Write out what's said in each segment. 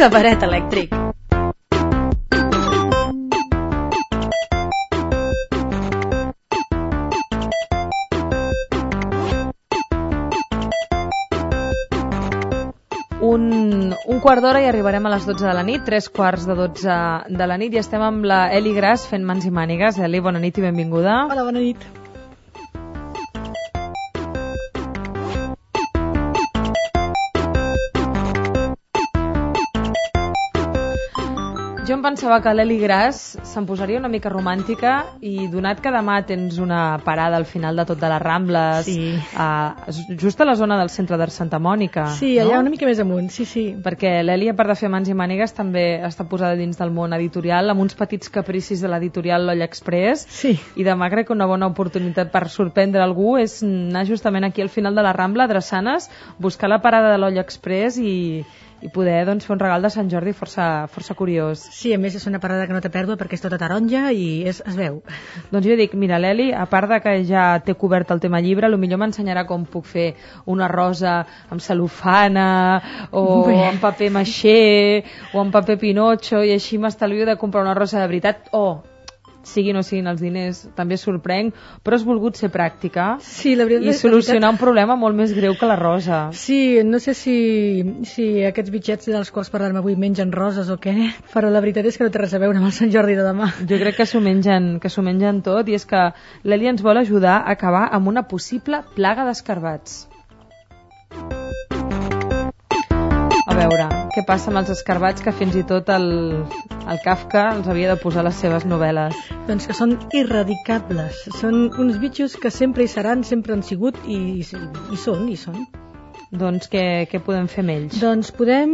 Cabaret elèctric. Un quart d'hora i arribarem a les 12 de la nit, 3:15 de la nit, i estem amb la Eli Gras fent mans i mànigues. Eli, bona nit i benvinguda. Hola, bona nit. Jo em pensava que l'Eli Gras se'n posaria una mica romàntica, i donat que demà tens una parada al final de tot de les Rambles, sí. Just a la zona del centre de Santa Mònica, sí, allà una mica més amunt, sí. Perquè l'Eli, a part de fer mans i mànigues, també està posada dins del món editorial, amb uns petits capricis de l'editorial L'Olla Express, sí. I demà crec que una bona oportunitat per sorprendre algú és anar justament aquí al final de la Rambla, a Drassanes, buscar la parada de l'Olla Express i poder fer un regal de Sant Jordi força curiós. Sí, a més és una parada que no té pèrdua perquè és tota taronja i es veu. Doncs jo dic, mira, l'Eli, a part de que ja té cobert el tema llibre, potser m'ensenyarà com puc fer una rosa amb cel·lofana o amb paper maixé o amb paper pinotxo, i així m'estalvio de comprar una rosa de veritat, siguin o siguin els diners, també sorprenc, però has volgut ser pràctica, sí, la veritat, i solucionar un problema molt més greu que la rosa. Sí, no sé si aquests bitxets dels quals parlarem avui mengen roses o què, però la veritat és que no té res a veure amb el Sant Jordi de demà. Jo crec que s'ho mengen tot, i és que l'Eli ens vol ajudar a acabar amb una possible plaga d'escarbats. A veure, què passa amb els escarbats que fins i tot el Kafka els havia de posar a les seves novel·les? Doncs que són irradicables. Són uns bitxos que sempre hi seran, sempre han sigut i són. Doncs què podem fer amb ells? Doncs podem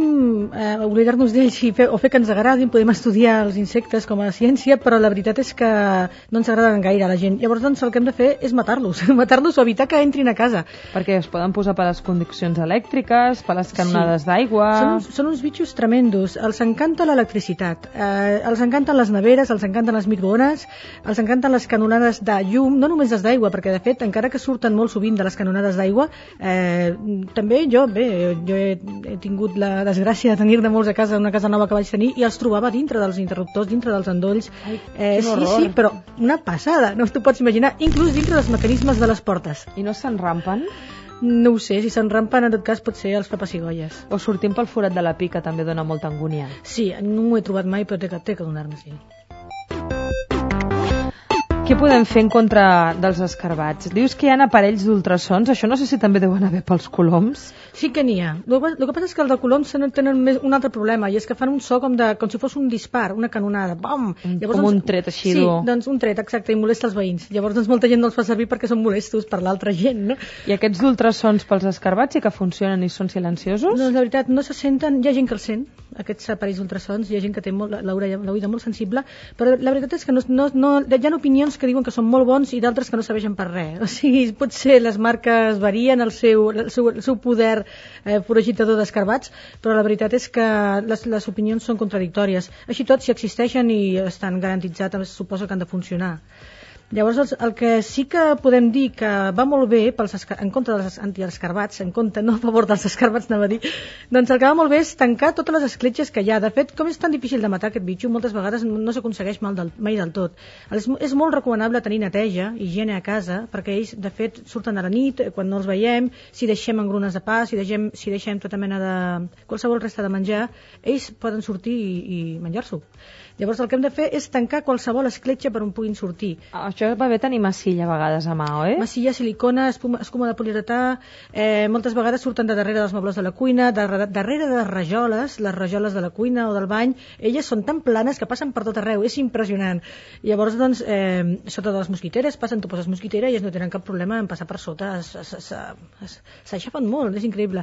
oblidar-nos d'ells o fer que ens agradin, podem estudiar els insectes com a ciència, però la veritat és que no ens agraden gaire a la gent. Llavors doncs, el que hem de fer és matar-los o evitar que entrin a casa. Perquè es poden posar per les conduccions elèctriques, per les canonades d'aigua... Són uns bitxos tremendos. Els encanta l'electricitat, els encanten les neveres, els encanten les microones, els encanten les canonades de llum, no només les d'aigua, perquè de fet, encara que surten molt sovint de les canonades d'aigua, també jo he tingut la desgràcia de tenir-ne molts a casa, una casa nova que vaig tenir, i els trobava dintre dels interruptors, dintre dels endolls. Sí, però una passada, no t'ho pots imaginar, inclús dintre dels mecanismes de les portes. I no s'enrampen? No ho sé, si s'enrampen en tot cas pot ser els papacigolles. O sortint pel forat de la pica també dona molta angúnia. Sí, no m'ho he trobat mai, però té que donar-me, sí. Què podem fer en contra dels escarbats? Dius que hi ha aparells d'ultrasons, això no sé si també deuen haver pels coloms. Sí que n'hi ha. El que passa és que els de coloms tenen un altre problema, i és que fan un so com si fos un dispar, una canonada. Bam! Llavors, un tret així dur. Sí, doncs un tret, exacte, i molesta els veïns. Llavors molta gent no els fa servir perquè són molestos per l'altra gent, no? I aquests d'ultrasons pels escarbats sí que funcionen i són silenciosos? No, la veritat, no se senten, hi ha gent que els sent, aquests aparells d'ultrasons, hi ha gent que té l'oïda molt sensible, però la veritat és que hi ha opinions que diuen que són molt bons i d'altres que no serveixen per res. O sigui, potser les marques varien el seu poder foragitador d'escarbats, però la veritat és que les opinions són contradictòries. Així tot, si existeixen i estan garantitzats, suposo que han de funcionar. Llavors, el que sí que podem dir que va molt bé en contra dels antiescarbats, no a favor dels escarbats, anava a dir, doncs el que va molt bé és tancar totes les escletxes que hi ha. De fet, com és tan difícil de matar aquest bitxo, moltes vegades no s'aconsegueix mai del tot. És molt recomanable tenir neteja, higiene a casa, perquè ells, de fet, surten a la nit, quan no els veiem, si deixem engrunes de pa, si deixem tota mena de qualsevol resta de menjar, ells poden sortir i menjar-s'ho. Llavors el que hem de fer és tancar qualsevol escletxa per on puguin sortir. Això va bé tenir massilla a vegades a mà, oi? Massilla, silicona, escuma de poliuretà, moltes vegades surten de darrere dels mobles de la cuina, darrere de les rajoles de la cuina o del bany, elles són tan planes que passen per tot arreu, és impressionant. Llavors, doncs, sota de les mosquiteres, tu poses mosquitera i ells no tenen cap problema en passar per sota, s'aixafen molt, és increïble.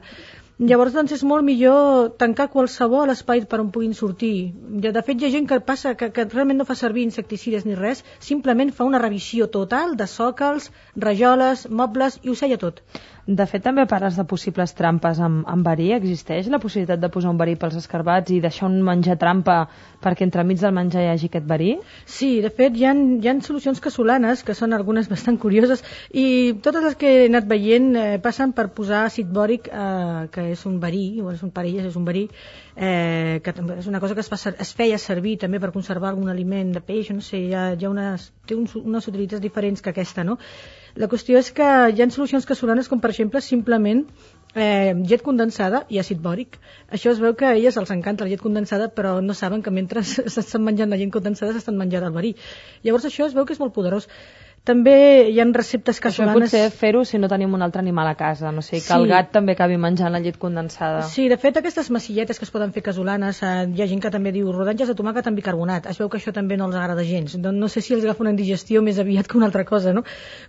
Llavors, doncs, és molt millor tancar qualsevol espai per on puguin sortir. De fet, hi ha gent que passa que realment no fa servir insecticides ni res, simplement fa una revisió total de sòcals, rajoles, mobles i ho sella tot. De fet, també parles de possibles trampes amb verí. Existeix la possibilitat de posar un verí pels escarbats i deixar un menjar trampa perquè entremig del menjar hi hagi aquest verí? Sí, de fet, hi ha solucions casolanes, que són algunes bastant curioses, i totes les que he anat veient passen per posar àcid bòric, que és un verí, o és un perill, és un verí, que és una cosa que es feia servir també per conservar algun aliment de peix, no sé, té unes utilitats diferents que aquesta, no? La qüestió és que hi ha solucions casolanes com per exemple simplement llet condensada i àcid bòric. Això es veu que a elles els encanta la llet condensada, però no saben que mentre s'estan menjant la llet condensada s'estan menjant el verí. Llavors això es veu que és molt poderós. També hi ha receptes casolanes... Això potser fer-ho si no tenim un altre animal a casa, no sé, que el gat també acabi menjant la llet condensada. Sí, de fet, aquestes massilletes que es poden fer casolanes, hi ha gent que també diu rodanges de tomàquet amb bicarbonat. Es veu que això també no els agrada gens. No sé si els agafa una indigestió més aviat que una altra cosa, no?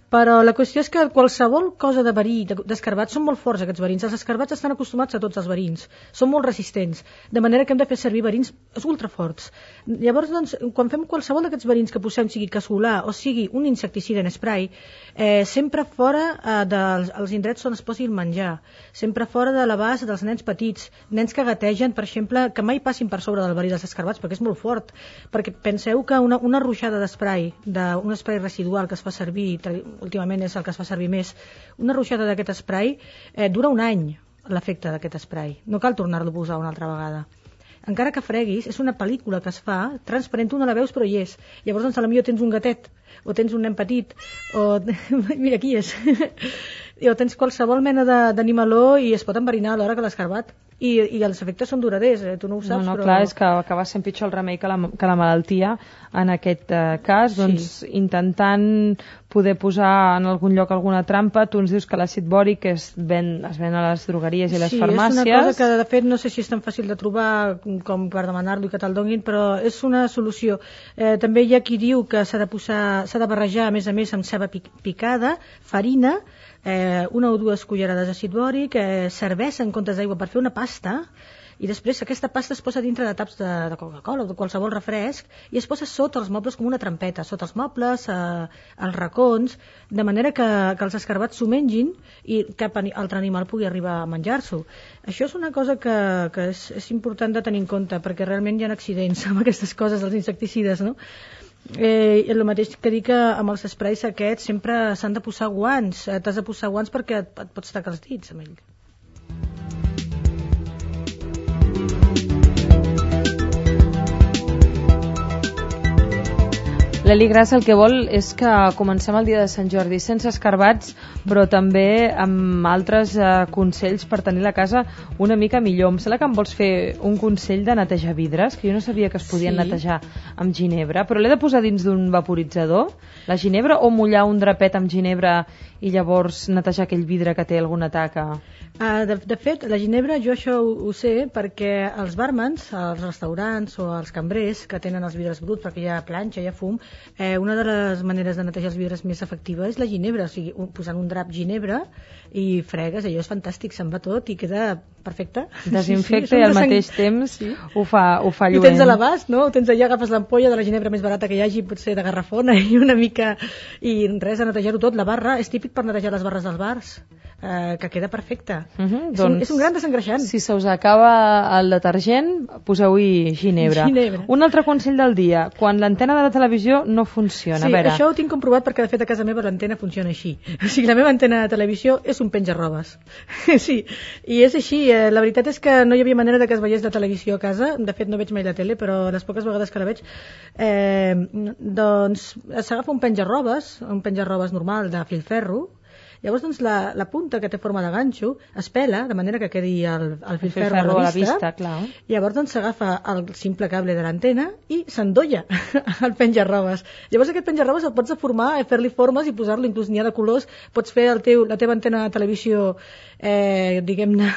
Però la qüestió és que qualsevol cosa de verí, d'escarbats, són molt forts aquests verins. Els escarbats estan acostumats a tots els verins. Són molt resistents, de manera que hem de fer servir verins ultraforts. Llavors, doncs, quan fem qualsevol d'aquests verins que posem, sigui casolà o sigui un insecticida en spray, sempre fora dels indrets on es posi el menjar, sempre fora de l'abast dels nens petits, nens que gategen, per exemple, que mai passin per sobre del verí dels escarbats, perquè és molt fort, perquè penseu que una ruixada d'esprai, un esprai residual que es fa servir, últimament és el que es fa servir més, una ruixada d'aquest esprai dura un any, l'efecte d'aquest esprai, no cal tornar-lo a posar una altra vegada. Encara que freguis, és una pel·lícula que es fa transparent, tu no la veus però hi és. Llavors, doncs, potser tens un gatet, o tens un nen petit, o... mira, aquí és. O tens qualsevol mena d'animaló i es pot enverinar a l'hora que l'escarbat. I els efectes són duraders, tu no ho saps, però... Clar, és que acaba sent pitjor el remei que la malaltia. En aquest cas, doncs, intentant poder posar en algun lloc alguna trampa, tu ens dius que l'àcid bòric es ven a les drogueries i les farmàcies. Sí, és una cosa que, de fet, no sé si és tan fàcil de trobar com per demanar-lo i que te'l donin, però és una solució. També hi ha qui diu que s'ha de barrejar, a més, amb ceba picada, farina, una o dues cullerades d'àcid bòric, cervesa en comptes d'aigua per fer una pasta, i després aquesta pasta es posa dintre de taps de Coca-Cola o de qualsevol refresc i es posa sota els mobles com una trampeta, sota els mobles, als racons, de manera que els escarbats s'ho mengin i cap altre animal pugui arribar a menjar-s'ho. Això és una cosa que és important de tenir en compte, perquè realment hi ha accidents amb aquestes coses, els insecticides, no? El mateix que dir que amb els esprais aquests sempre s'han de posar guants, t'has de posar guants perquè et pots tacar els dits amb ell. L'Eli Grassa el que vol és que comencem el dia de Sant Jordi sense escarbats, però també amb altres consells per tenir la casa una mica millor. Em sembla que em vols fer un consell de netejar vidres, que jo no sabia que es podien netejar amb ginebra, però l'he de posar dins d'un vaporitzador, la ginebra, o mullar un drapet amb ginebra i llavors netejar aquell vidre que té alguna taca? De fet, la ginebra jo això ho sé perquè els bàrmans, als restaurants o als cambrers que tenen els vidres bruts perquè hi ha planxa, hi ha fum, una de les maneres de netejar els vidres més efectiva és la ginebra, o sigui, posant un drap ginebra i fregues, allò és fantàstic, se'n va tot i queda perfecte. Desinfecta i al mateix temps ho fa lluent. I ho tens a l'abast, no? Ho tens allà, agafes l'ampolla de la ginebra més barata que hi hagi, potser de garrafona i una mica... I res, a netejar-ho tot. La barra és típic per netejar les barres dels bars, que queda perfecta. És un gran desengreixant. Si se us acaba el detergent, poseu-hi ginebra. Un altre consell del dia, quan l'antena de la televisió no funciona. Sí, això ho tinc comprovat perquè de fet a casa meva l'antena funciona així. O sigui, la meva antena de televisió és un penja-robes. Sí, i és així. La veritat és que no hi havia manera de que es veiés la televisió a casa. De fet, no veig mai la tele, però les poques vegades que la veig, doncs s'agafa un penja-robes normal de filferro. Llavors, doncs, la punta que té forma de ganxo es pela, de manera que quedi el filferro a la vista. Clar. Llavors, doncs, s'agafa el simple cable de l'antena i s'endolla el penja-robes. Llavors, aquest penja-robes el pots deformar, fer-li formes i posar-lo, inclús n'hi ha de colors. Pots fer la teva antena de televisió, diguem-ne,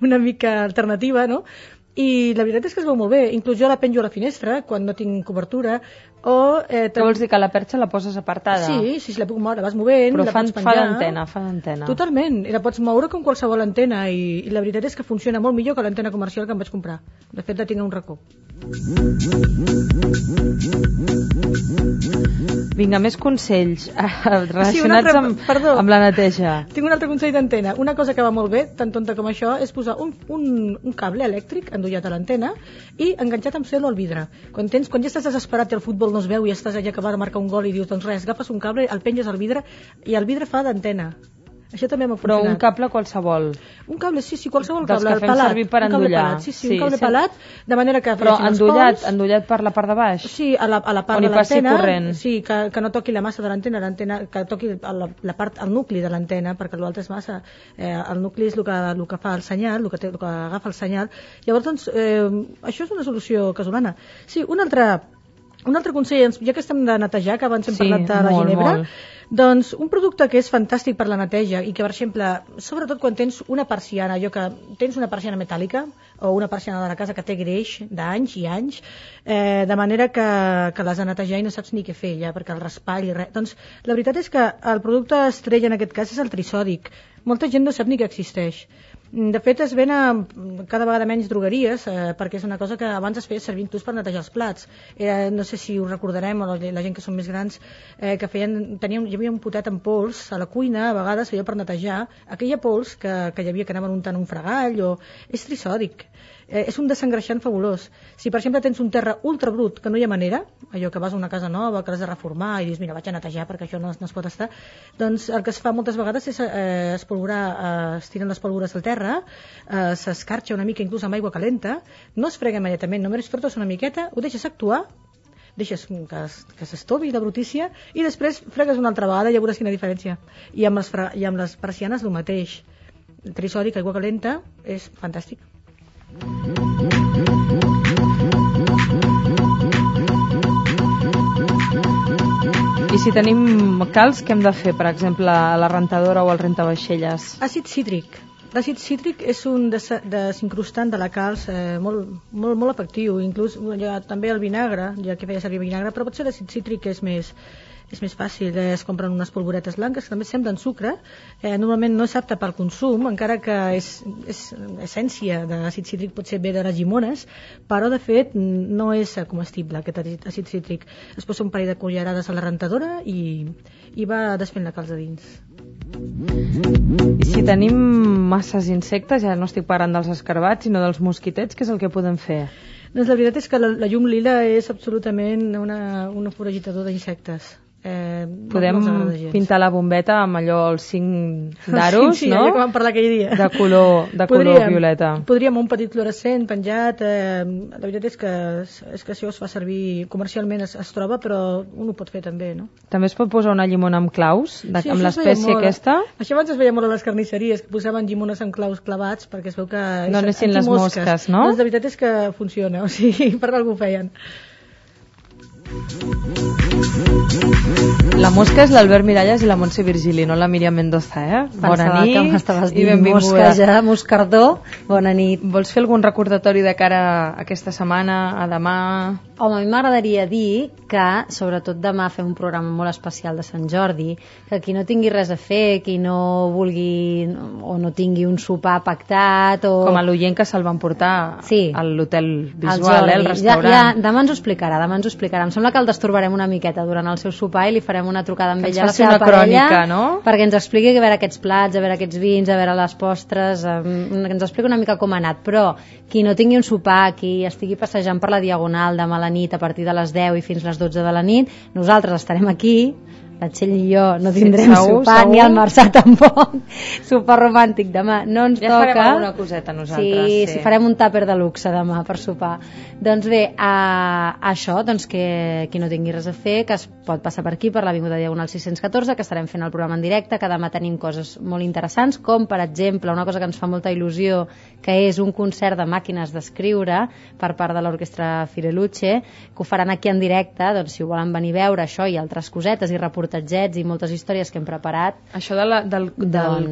una mica alternativa, no? I la veritat és que es veu molt bé. Inclús jo la penjo a la finestra quan no tinc cobertura, Què vols dir, que la perxa la poses apartada? Sí, la puc moure, la vas movent, però la pots penjar. fa d'antena. Totalment, i la pots moure com qualsevol antena, i la veritat és que funciona molt millor que l'antena comercial que em vaig comprar. De fet, la tinc a un racó. Vinga, més consells relacionats amb la neteja. Tinc un altre consell d'antena. Una cosa que va molt bé, tan tonta com això, és posar un cable elèctric endollat a l'antena i enganxat amb cel·lo al vidre. Quan ja estàs desesperat i el futbol no es veu i estàs allà acabar de marcar un gol i dius, doncs res, agafes un cable, el penges al vidre i el vidre fa d'antena. Això també m'ha funcionat. Però un cable qualsevol. Un cable, sí, qualsevol dels cable. Que fem servir per endollar. Un cable pelat, de manera que... Però endollat per la part de baix? Sí, a la part de l'antena. Sí, que no toqui la massa de l'antena, que toqui la part, el nucli de l'antena, perquè l'altre és massa. El nucli és el que fa el senyal, el que agafa el senyal. Llavors, doncs, això és una solució casolana. Sí, un altre consell, ja que estem de netejar, que abans hem parlat de la ginebra, doncs un producte que és fantàstic per la neteja i que, per exemple, sobretot quan tens una persiana, tens una persiana metàl·lica o una persiana de la casa que té greix d'anys i anys, de manera que l'has de netejar i no saps ni què fer ja, perquè el raspall i res. Doncs la veritat és que el producte estrella en aquest cas és el trisòdic. Molta gent no sap ni que existeix. De fet, es ven a cada vegada menys drogueries, perquè és una cosa que abans es feia servir inclús per netejar els plats. No sé si ho recordarem, o la gent que són més grans, que hi havia un potet amb pols a la cuina, a vegades feia per netejar aquella pols que hi havia que anaven untant un fregall, és trisòdic. És un desengreixant fabulós. Si, per exemple, tens un terra ultra brut, que no hi ha manera, allò que vas a una casa nova, que l'has de reformar i dius, mira, vaig a netejar perquè això no es pot estar, doncs el que es fa moltes vegades és espolvorar, es tiren les pólvores al terra, s'escarxa una mica inclús amb aigua calenta, no es frega immediatament, només frotes una miqueta, ho deixes actuar, deixes que s'estovi la brutícia i després fregues una altra vegada i ja veuràs quina diferència. I amb les persianes el mateix. El trisòdic, aigua calenta, és fantàstic. I si tenim calç, què hem de fer? Per exemple, a la rentadora o al rentavaixelles? Àcid cítric. L'àcid cítric és un desincrustant de la calç molt efectiu. Inclús també el vinagre, ja que feia servir vinagre, però potser l'àcid cítric és més fàcil. Es compren unes polvoretes blanques que també semblen sucre. Normalment no és apte pel consum, encara que és essència d'àcid cítric, potser ve de les llimones, però de fet no és comestible aquest àcid cítric. Es posa un parell de cullerades a la rentadora i va desfent la calç de dins. I si tenim masses insectes, ja no estic parlant dels escarbats sinó dels mosquitets, què és el que podem fer? Doncs la veritat és que la llum lila és absolutament un foragitador d'insectes. Podem pintar la bombeta amb allò els 5 d'aros, sí, no? allò que vam parlar aquell dia. De color violeta. Podríem un petit fluorescent penjat. La veritat és que això es fa servir comercialment, es troba, però un ho pot fer també, no? També es pot posar una llimona amb claus, amb l'espècie aquesta? Això abans es veia molt a les carnisseries, que posaven llimones amb claus clavats perquè es veu que... No anessin les mosques, no? Doncs la veritat és que funciona, o sigui, per algú ho feien. La mosca és l'Albert Miralles i la Montse Virgili, no la Míriam Mendoza, Bona nit que m'estaves dient mosca ja, moscardó. Bona nit. Vols fer algun recordatori de cara a aquesta setmana, a demà? Home, a mi m'agradaria dir que, sobretot demà, fem un programa molt especial de Sant Jordi, que qui no tingui res a fer, qui no vulgui o no tingui un sopar pactat o... Com a l'oient que se'l van portar a l'hotel visual, el restaurant. Demà ens ho explicarà, Em sembla que el destorbarem una miqueta durant el seu sopar i li farem una trucada amb ella a la seva parella, crònica, no? Perquè ens expliqui a veure aquests plats, a veure aquests vins, a veure les postres, que ens expliqui una mica com ha anat. Però qui no tingui un sopar, qui estigui passejant per la Diagonal demà a la nit a partir de les 10 i fins les 12 de la nit, nosaltres estarem aquí, la Txell i jo no tindrem sopar, ni el Marçà tampoc, sopar romàntic demà, no ens toca. Ja farem alguna coseta nosaltres. Sí, farem un tàper de luxe demà per sopar. Doncs bé, això, doncs que qui no tingui res a fer, que es pot passar per aquí, per l'Avinguda Diagonal 614, que estarem fent el programa en directe, que demà tenim coses molt interessants, com per exemple, una cosa que ens fa molta il·lusió, que és un concert de màquines d'escriure per part de l'Orquestra Fireluce, que ho faran aquí en directe, doncs si ho volen venir a veure això i altres cosetes i reportatges reportatgets i moltes històries que hem preparat. Això del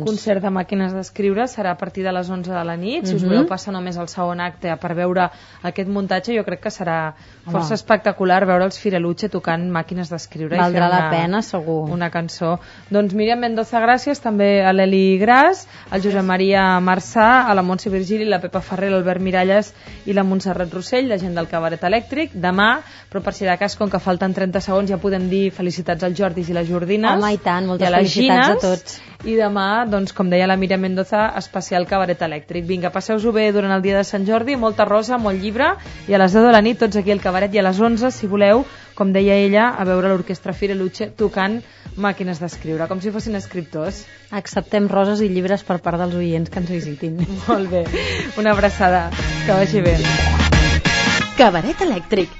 concert de màquines d'escriure serà a partir de les 11 de la nit. Si us voleu passar només al segon acte per veure aquest muntatge, jo crec que serà força espectacular veure els Fireluche tocant màquines d'escriure. Valdrà la pena, segur. Una cançó. Doncs Míriam Mendoza, gràcies, també a l'Eli Gras, al Josep Maria Marçà, a la Montse Virgili, la Pepa Ferrer, l'Albert Miralles i la Montserrat Rossell, la gent del Cabaret Elèctric. Demà, però per si de cas, com que falten 30 segons, ja podem dir felicitats als Jordis i les Jordines. Home, i tant, moltes felicitats a tots. I demà, doncs, com deia la Míriam Mendoza, especial Cabaret Elèctric. Vinga, passeu-ho bé durant el dia de Sant Jordi, molta rosa, molt llibre, i a les 10 de la nit tots aquí al Cabaret, i a les 11, si voleu, com deia ella, a veure l'orquestra Fireluche tocant màquines d'escriure, com si fossin escriptors. Acceptem roses i llibres per part dels oients que ens visitin. Molt bé, una abraçada, que vagi bé. Cabaret Elèctric,